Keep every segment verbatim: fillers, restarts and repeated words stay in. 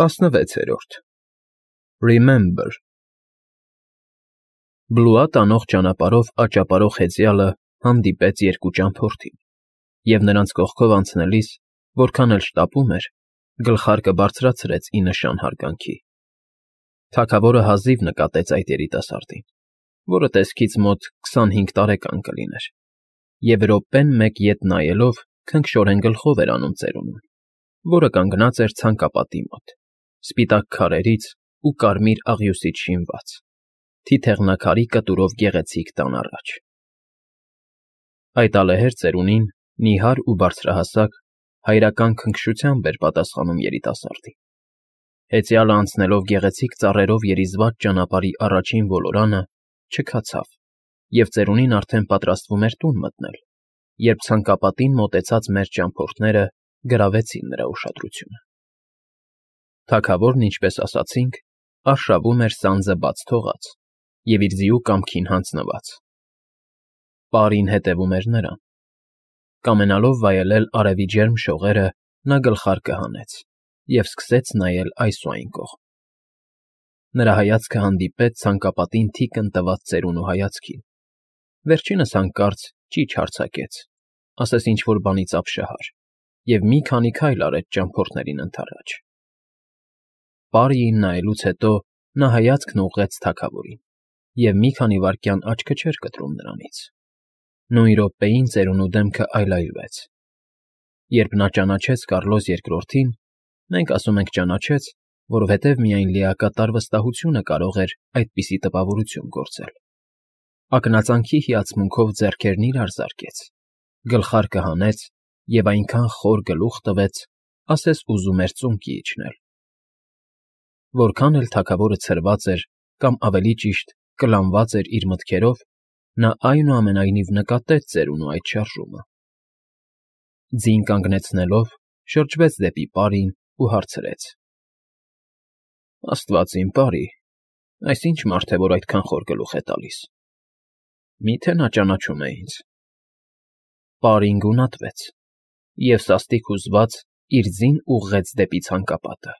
տասնվեցերորդ Remember Բլուա տանող ճանապարհով աճապարող հեծյալը հանդիպեց երկու ճամփորդին և նրանց կողքով անցնելիս, որքան էլ շտապում էր, գլխարկը բարձրացրեց ի նշան հարգանքի. թագավորը հազիվ նկատեց այդ երիտասարդին, որը տեսքից մոտ քսանհինգ տարեկան կլիներ, և րոպեն մեկ ետ նայելով քնքշորեն գլխով էր անում ծերունուն, որը կանգնած էր ցանկապատի մոտ, սպիտակ քարերից ու կարմիր աղյուսից շինված, թիթեղնաքարի կտուրով գեղեցիկ տան առաջ. Այդ ալեհեր ծերունին, նիհար ու բարձրահասակ, հայրական քնքշությամբ էր պատասխանում երիտասարդին. հեծյալը անցնելով գեղեցիկ ծառերով երիզված ճանապարհի առաջին ոլորանը, չքացավ և ծերունին արդեն պատրաստվում էր տուն մտնել, երբ ցանկապատին մոտեցած մեծ ճամփորդները գրավեցին նրա ուշադրությունը. թագավորն, ինչպես ասացինք, արշավում էր սանձը բաց թողած և իր ձիու կամքին հանձնված. պարին հետևում էր նրան. կամենալով վայելել արևի ջերմ շողերը, նա գլխարկը հանեց և սկսեց նայել այս ու այն կողմ. նրա հայացքը հանդիպեց ցանկապատին թիկն տված ծերունու հայացքին, վերջինս հանկարծ ճիչ արձակեց, ասես ինչ֊որ բանից ապշահար, և մի քանի քայլ արեց ճամփորդներին ընդառաջ. Պարիին նայելուց հետո նա հայացքն ուղղեց թագավորին և մի քանի վայրկյան աչքը չէր կտրում նրանից. նույն րոպեին ծերունու դեմքը այլայլվեց. երբ նա ճանաչեց Կառլոս Երկրորդին, մենք ասում ենք ճանաչեց, որովհետև միայն լիակատար վստահությունը կարող էր այդպիսի տպավորություն գործել, ակնածանքի հիացմունքով ձեռքերն իրար զարկեց, գլխարկը հանեց և այնքան խոր գլուխ տվեց, ասես ուզում էր ծունկի իջնել. որքան էլ թագավորը ցրված էր կամ, ավելի ճիշտ, կլանված էր իր մտքերով, նա այնուամենայնիվ նկատեց ծերունու այդ շարժումը. ձին կանգնեցնելով, շրջվեց դեպի պարին ու հարցրեց. աստված իմ, պարի, այս ի՞նչ մարդ է, որ այդքան խոր գլուխ է տալիս, մի՞թե նա ճանաչում է ինձ. պարին գունատվեց և սաստիկ հուզված իր ձին ուղղեց դեպի ցանկապատը.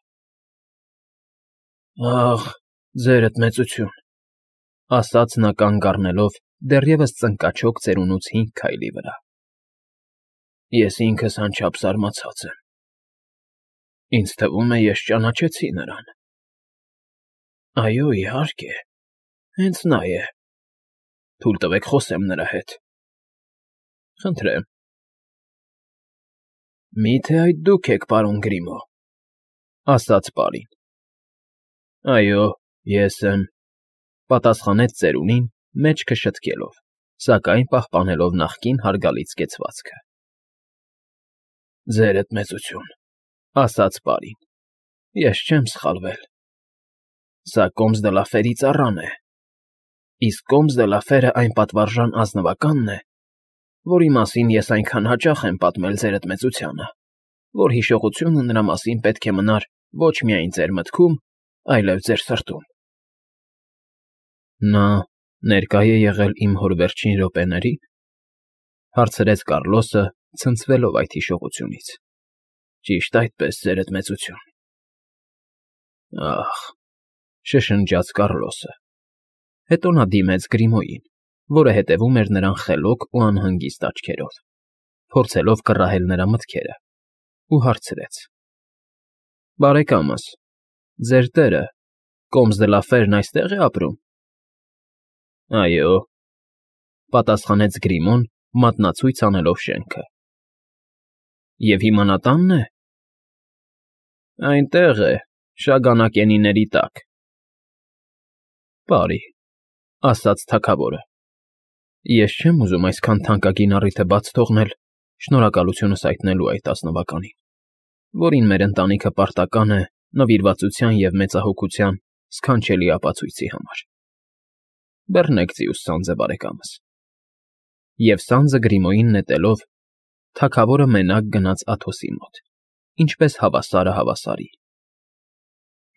֊ Ախ, ձերդ մեծություն, ֊ ասաց նա կանգ առնելով դեռևս ծնկաչոք ծերունուց հինգ քայլի վրա. ես ինքս անչափ զարմացած եմ, ինձ թվում է, ես ճանաչեցի նրան. այո, իհարկե, հենց նա է, թույլ տվեք խոսեմ նրա հետ. խնդրեմ. Մի՞թե այդ դուք եք, պարոն Գրիմո, ֊ ասաց պարին. այո, ես եմ, ֊ պատասխանեց ծերունին, մեջքը շտկելով, սակայն պահպանելով նախկին հարգալից կեցվածքը. ձերդ մեծություն, ֊ ասաց պարին, ես չեմ սխալվել, սա Կոմս դը լա Ֆերի ծառան է, իսկ Կոմս դը լա Ֆերը այն պատվարժան ազնվականն է, որի մասին ես այնքան հաճախ եմ պատմել ձերդ մեծությանը, որ հիշողությունը նրա մասին պետք է մնար ոչ միայն ձեր մտքում, այլև ձեր սրտում։ ֊ Նա ներկա է եղել իմ հոր վերջին րոպեների՞ն, ֊ հարցրեց Կառլոսը, ցնցվելով այդ հիշողությունից։ ֊ Ճիշտ այդպես, ձերդ մեծություն։ ֊ Ախ, ֊ շշնջաց Կառլոսը, հետո նա դիմեց Գրիմոյին, որը հետևում էր նրան խելոք ու անհանգիստ աչքերով, փորձելով կռահել նրա մտքերը, ու հարցրեց. ֊ Բարեկամս, ձեր տերը՝ Կոմս դը լա Ֆերն այստե՞ղ է ապրում։ ֊ Այո, ֊ պատասխանեց Գրիմոն, մատնացույց անելով շենքը։ ֊ Եվ հիմա նա տա՞նն է։ ֊ Այնտեղ է, շագանակենիների տակ։ ֊ Պարի, ֊ ասաց թագավորը, ֊ ես չեմ ուզում այսքան թանկագին առիթը բաց թողնել շնորհակալությունս հայտնելու այդ ազնվականին, որին մեր ընտանիքը պարտական է նվիրվածության և մեծահոգության սքանչելի ապացույցի համար։ Բռնեք ձիուս սանձը, բարեկամս։ Եվ սանձը Գրիմոյին նետելով, թագավորը մենակ գնաց Աթոսի մոտ, ինչպես հավասարը հավասարի։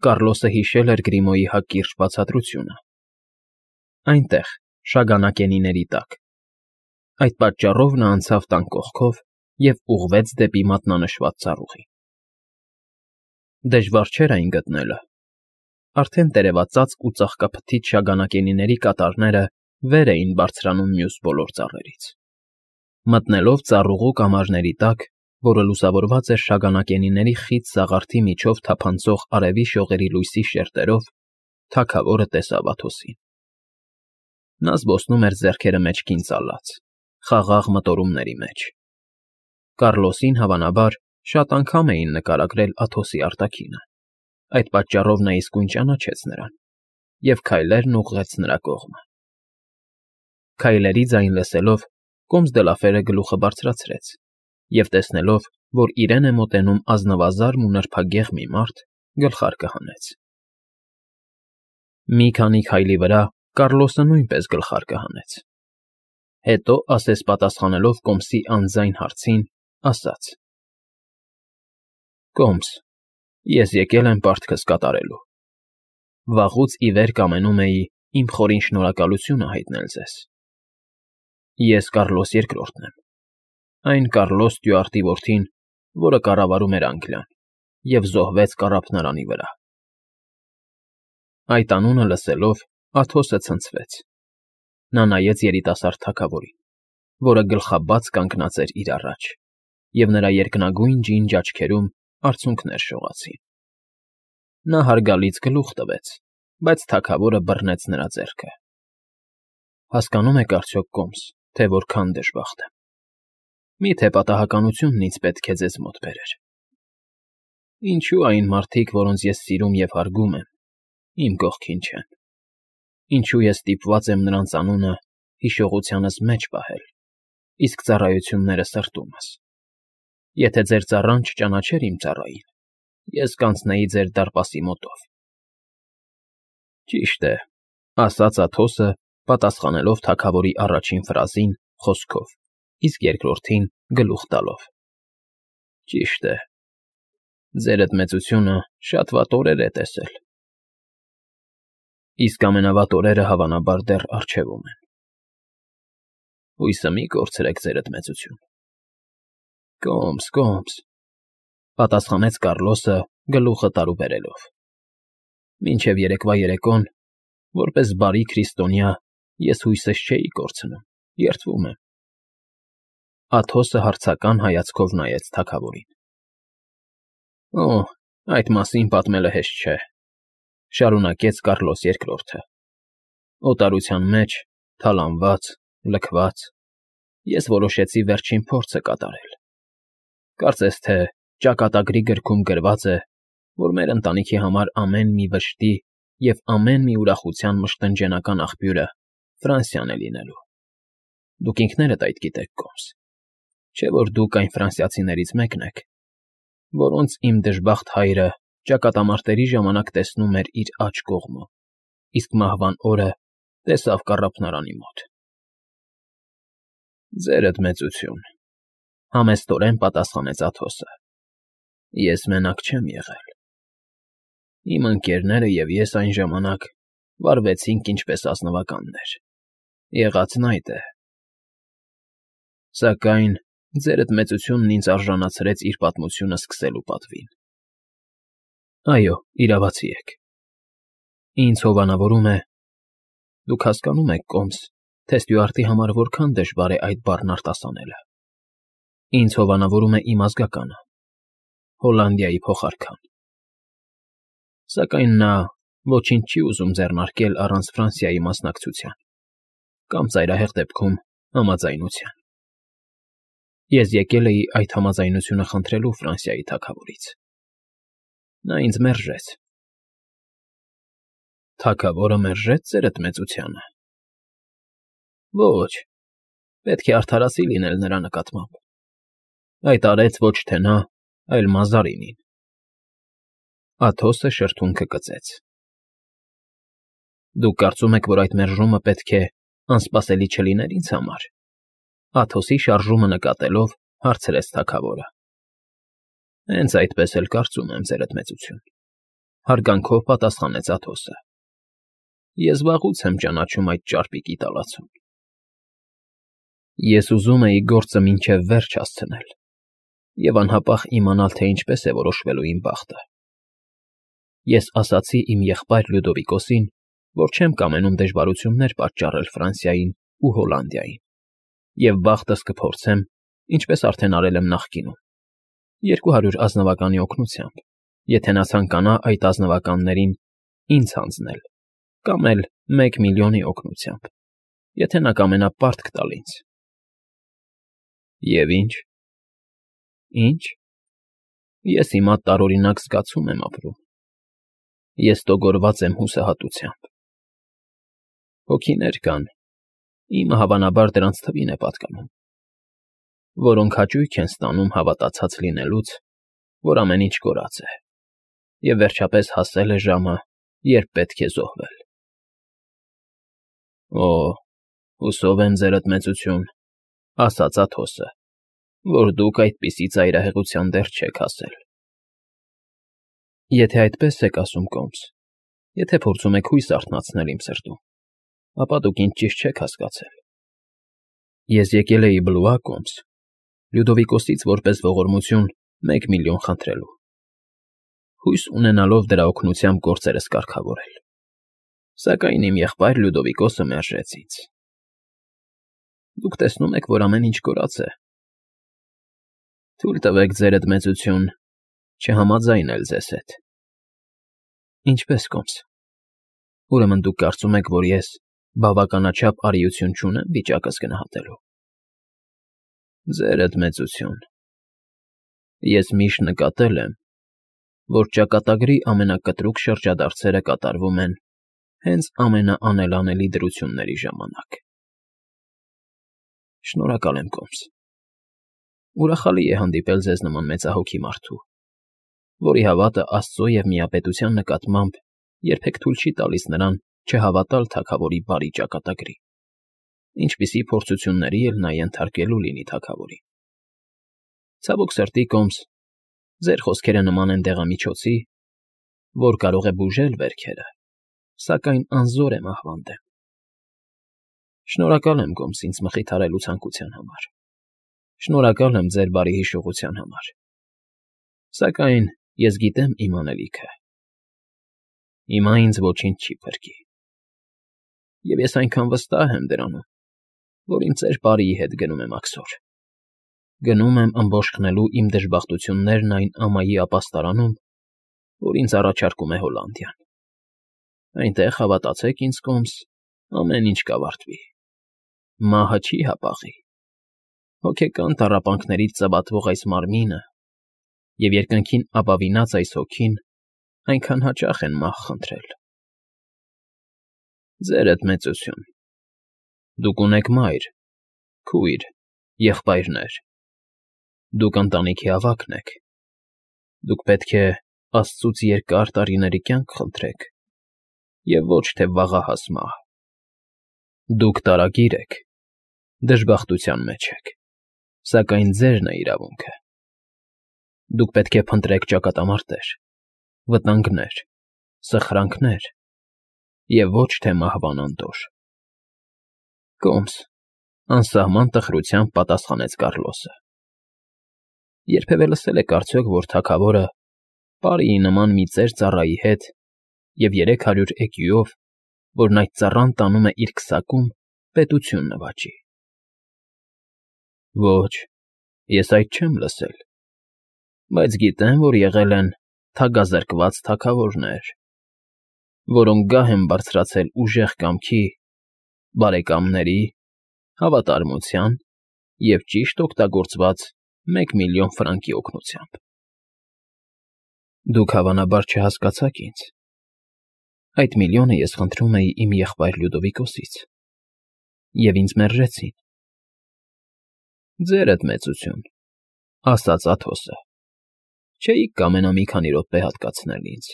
Կառլոսը հիշել էր Գրիմոյի հակիրճ բացատրությունը. այնտեղ, շագանակենիների տակ։ Այդ պատճառով նա անցավ տան կողքով և ուղղվեց դեպի մատնանշված ծառուղի։ Դժվար չէր այն գտնելը։ Արդեն տերևածածկ ու ծաղկափթիթ շագանակենիների կատարները վեր էին բարձրանում մյուս բոլոր ծառերից։ Մտնելով ծառուղու կամարների տակ, որը լուսավորված էր շագանակենիների խիտ սաղարթի միջով թափանցող արևի շողերի լույսի շերտերով, թագավորը տեսավ Աթոսին։ Նա զբոսնում էր ձեռքերը մեջքին ծալած, խաղաղ մտորումների մեջ։ Կառլոսին, հավանաբար, շատ անգամ էին նկարագրել Աթոսի արտաքինը, այդ պատճառով նա իսկույն ճանաչեց նրան և քայլերն ուղղեց նրա կողմը։ Քայլերի ձայն լսելով, Կոմս դե Լաֆերը գլուխը բարձրացրեց և, տեսնելով, որ իրեն է մոտենում ազնվազարմ ու նրբագեղ մի մարդ, գլխարկը հանեց։ Մի քանի քայլի վրա Կառլոսը նույնպես գլխարկը հանեց։ Հետո, ասես պատասխանելով Կոմսի անձայն հարցին, ասաց. «Կոմս, ես եկել եմ պարտքս կատարելու։ Վաղուց ի վեր կամենում էի իմ խորին շնորհակալությունը հայտնել ձեզ։ Ես Կառլոս Երկրորդն եմ, այն Կառլոս Ստյուարտի որդին, որը կառավարում էր Անգլիան և զոհվեց կառափնարանի վրա»։ Այդ անունը լսելով, Աթոսը ցնցվեց։ Նա նայեց երիտասարդ թագավորին, որը գլխաբաց կանգնած էր իր առաջ, և նրա երկնագույն ջինջ աչքերում արցունքներ շողացին։ Նա հարգալից գլուխ տվեց, բայց թագավորը բռնեց նրա ձեռքը։ «Հասկանո՞ւմ եք արդյոք, Կոմս, թե որքան դժբախտ եմ։ Մի՞թե պատահականությունն ինձ պետք է ձեզ մոտ բերեր։ Ինչո՞ւ այն մարդիկ, որոնց ես սիրում և հարգում եմ, իմ կողքին չեն։ Ինչո՞ւ ես ստիպված եմ նրանց անունը հիշողությանս մեջ պահել, իսկ ծառայությունները սրտումս։ Եթե ձեր ծառան չճանաչեր իմ ծառային, ես կանցնեի ձեր դարպասի մոտով»։ «Ճիշտ է,֊ ասաց Աթոսը, պատասխանելով թագավորի առաջին ֆրազին խոսքով, իսկ երկրորդին գլուխ տալով։֊ Ճիշտ է, ձերդ մեծությունը շատ վատ օրեր է տեսել։ Իսկ ամենավատ օրերը, հավանաբար, դեռ առջևում են։ Հույսը մի կորցրեք, ձերդ մեծություն։ Կոմս, Կոմս,֊ պատասխանեց Կառլոսը գլուխը տարուբերելով։ Մինչև երեկվա երեկոն, որպես բարի քրիստոնյա, ես հույսս չէի կորցնում, երդվում եմ։ Աթոսը հարցական հայացքով նայեց թագավորին։ «Օ, այդ մասին պատմելը հեշտ չէ,֊ շարունակեց Կառլոս Երկրորդը։ Օտարության մեջ, թալանված, լքված, ես որոշեցի վերջին փորձը կատարել։ Կարծես թե ճակատագրի գրքում գրված է, որ մեր ընտանիքի համար ամեն մի վշտի և ամեն մի ուրախության մշտնջենական աղբյուրը Ֆրանսիան է լինելու։ Դուք ինքներդ այդ գիտեք, Կոմս, չէ՞ որ դուք այն ֆրանսիացիներից մեկն եք, որոնց իմ դժբախտ հայրը ճակատամարտերի ժամանակ տեսնում էր իր աջ կողմում, իսկ մահվան օրը տեսավ կառափնարանի մոտ»։ «Ձերդ մեծություն,֊ համեստորեն պատասխանեց Աթոսը,֊ ես մենակ չեմ եղել։ Իմ ընկերները և ես այն ժամանակ վարվեցինք ինչպես ազնվականներ, եղածն այդ է։ Սակայն ձերդ մեծությունն ինձ արժանացրեց իր պատմությունը սկսելու պատվին։ Այո, իրավացի եք։ Ինձ հովանավորում է… Դուք հասկանո՞ւմ եք, Կոմս, թե Ստյուարտի համար որքան դժվար է այդ բառն արտասանելը։ Ինձ հովանավորում է իմ ազգականը, Հոլանդիայի փոխարքան։ Սակայն նա ոչինչ չի ուզում ձեռնարկել առանց Ֆրանսիայի մասնակցության կամ, ծայրահեղ դեպքում, համաձայնության։ Ես եկել էի այդ համաձայնությունը խնդրելու Ֆրանսիայի թագավորից։ Նա ինձ մերժեց։ Թագավորը մերժե՞ց ձերդ մեծությանը։ Ոչ, պետք է արդարացի լինել նրա նկատմամբ։ Այդ արեց ոչ թե նա, այլ Մազարինին։ Աթոսը շրթունքը կծեց։ Դուք կարծում եք, որ այդ մերժումը պետք է անսպասելի չլիներ ինձ համար։ Աթոսի շարժումը նկատելով, հարցրեց թագավորը։ Հենց այդպես էլ կարծում եմ, ձերդ մեծություն,֊ հարգանքով պատասխանեց Աթոսը։ Ես վաղուց եմ ճանաչում այդ ճարպիկի տալացուն։ Ես ուզում էի գործը մինչև վերջ հասցնել և անհապաղ իմանալ, թե ինչպես է որոշվելու իմ բախտը։ Ես ասացի իմ եղբայր Լյուդովիկոսին, որ չեմ կամենում դժվարություններ պատճառել Ֆրանսիային ու Հոլանդիային, և բախտս կփորձեմ, ինչպես արդեն արել եմ նախկինում, երկու հարյուր ազնվականի օգնությամբ, եթե նա ցանկանա այդ ազնվականներին ինձ հանձնել, կամ էլ մեկ միլիոնի օգնությամբ, եթե նա կամենա պարտք տալ ինձ։ Եվ ի՞նչ։ Ի՞նչ։ Ես հիմա տարօրինակ զգացում եմ ապրում։ Ես տոգորված եմ հուսահատությամբ։ Հոգիներ կան, իմը հավանաբար դրանց թվին է պատկանում, որոնք հաճույք են ստանում հավատացած լինելուց, որ ամեն ինչ կորած է, և վերջապես հասել է ժամը, երբ պետք է զոհվել։ Օ, հուսով եմ, ձերդ մեծություն, ասաց Աթոսը, որ դուք այդպիսի ծայրահեղության դեռ չեք հասել։ Եթե այդպես եք ասում, Կոմս, եթե փորձում եք հույս արթնացնել իմ սրտում, ապա դուք ինձ ճիշտ չեք հասկացել։ Ես եկել էի Բլուա, Կոմս, Լյուդովիկոսից որպես ողորմություն մեկ միլիոն խնդրելու, հույս ունենալով դրա օգնությամբ գործերս կարգավորել, սակայն իմ եղբայր Լյուդովիկոսը մերժեց ինձ։ Դուք տեսնում եք, որ ամեն ինչ կորած է։ Թույլ տվեք, ձերդ մեծություն, չհամաձայնել ձեզ հետ։ Ինչպե՞ս, Կոմս։ Ուրեմն դուք կարծում եք, որ ես բավականաչափ արիություն չունեմ վիճակս գնահատելու։ Ձերդ մեծություն, ես միշտ նկատել եմ, որ ճակատագրի ամենակտրուկ շրջադարձերը կատարվում են հենց ամենաանելանելի դրությունների ժամանակ։ Շնորհակալ եմ, Կոմս։ Ուրախալի է հանդիպել ձեզ նման մեծահոգի մարդու, որի հավատը Աստծո և միապետության նկատմամբ երբեք թույլ չի տալիս նրան չհավատալ թագավորի բարի ճակատագրի, ինչպիսի փորձությունների էլ նա ենթարկելու լինի թագավորին։ Ցավոք սրտի, Կոմս, ձեր խոսքերը նման են դեղամիջոցի, որ կարող է բուժել վերքերը, սակայն անզոր է մահվան դեմ։ Շնորհակալ եմ, Կոմս, ինձ մխիթարելու ցանկության համար։ Շնորհակալ եմ ձեր բարի հիշողության համար։ Սակայն ես գիտեմ իմ անելիքը։ Հիմա ինձ ոչինչ չի փրկի։ Եվ ես այնքան վստահ եմ դրանում, որ իմ ծեր բարիի հետ գնում եմ աքսոր։ Գնում եմ ըմբոշխնելու իմ դժբախտություններն այն ամայի ապաստարանում, որ ինձ առաջարկում է Հոլանդիան։ Այնտեղ, հավատացեք ինձ, Կոմս, ամեն ինչ կավարտվի։ Մահը չի հապաղի։ Հոգեկան տառապանքներից ծավատվող այս մարմինը և երկնքին ապավինած այս հոգին այնքան հաճախ են մահ խնդրել։ Ձերդ մեծություն, դուք ունեք մայր, քույր, եղբայրներ, դուք ընտանիքի ավագն եք, դուք պետք է Աստծուց երկար տարիների կյանք խնդրեք և ոչ թե վաղահաս մահ։ Դուք տարագիր եք, դժբախտության մեջ եք, սակայն ձերն է իրավունքը։ Դուք պետք է փնտրեք ճակատամարտեր, վտանգներ, սխրանքներ և ոչ թե մահվան անդորր։ Կոմս, անսահման տխրությամբ պատասխանեց Կառլոսը։ Երբևէ լսել եք արդյոք, որ թագավորը պարիի նման մի ծեր ծառայի հետ և երեք հարյուր էկյուով, որն այդ ծառան տանում է իր քսակում, պետություն նվաճի։ Ոչ, ես այդ չեմ լսել, բայց գիտեմ, որ եղել են թագազրկված թագավորներ, որոնք գահ են բարձրացել ուժեղ կամքի, բարեկամների, հավատարմության և ճիշտ օգտագործված մեկ միլիոն ֆրանկի օգնությամբ։ Դուք հավանաբար չհասկացաք ինձ։ Այդ միլիոնը ես խնդրում էի իմ եղբայր Լյուդովիկոսից, և ինձ մերժեցին։ Ձերդ մեծություն, ասաց Աթոսը, չէիք կամենա մի քանի րոպե հատկացնել ինձ,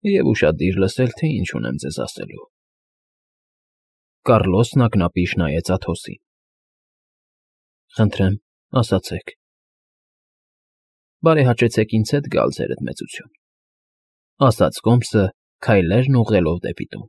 և ուշադիր լսել, թե ինչ ունեմ ձեզ ասելու։ Կառլոսն ակնապիշ նայեց Աթոսին։ Խնդրեմ, ասացեք։ Բարեհաճեցեք ինձ հետ գալ, ձերդ մեծություն, ասաց Կոմսը, քայլերն ուղղելով դեպի տուն։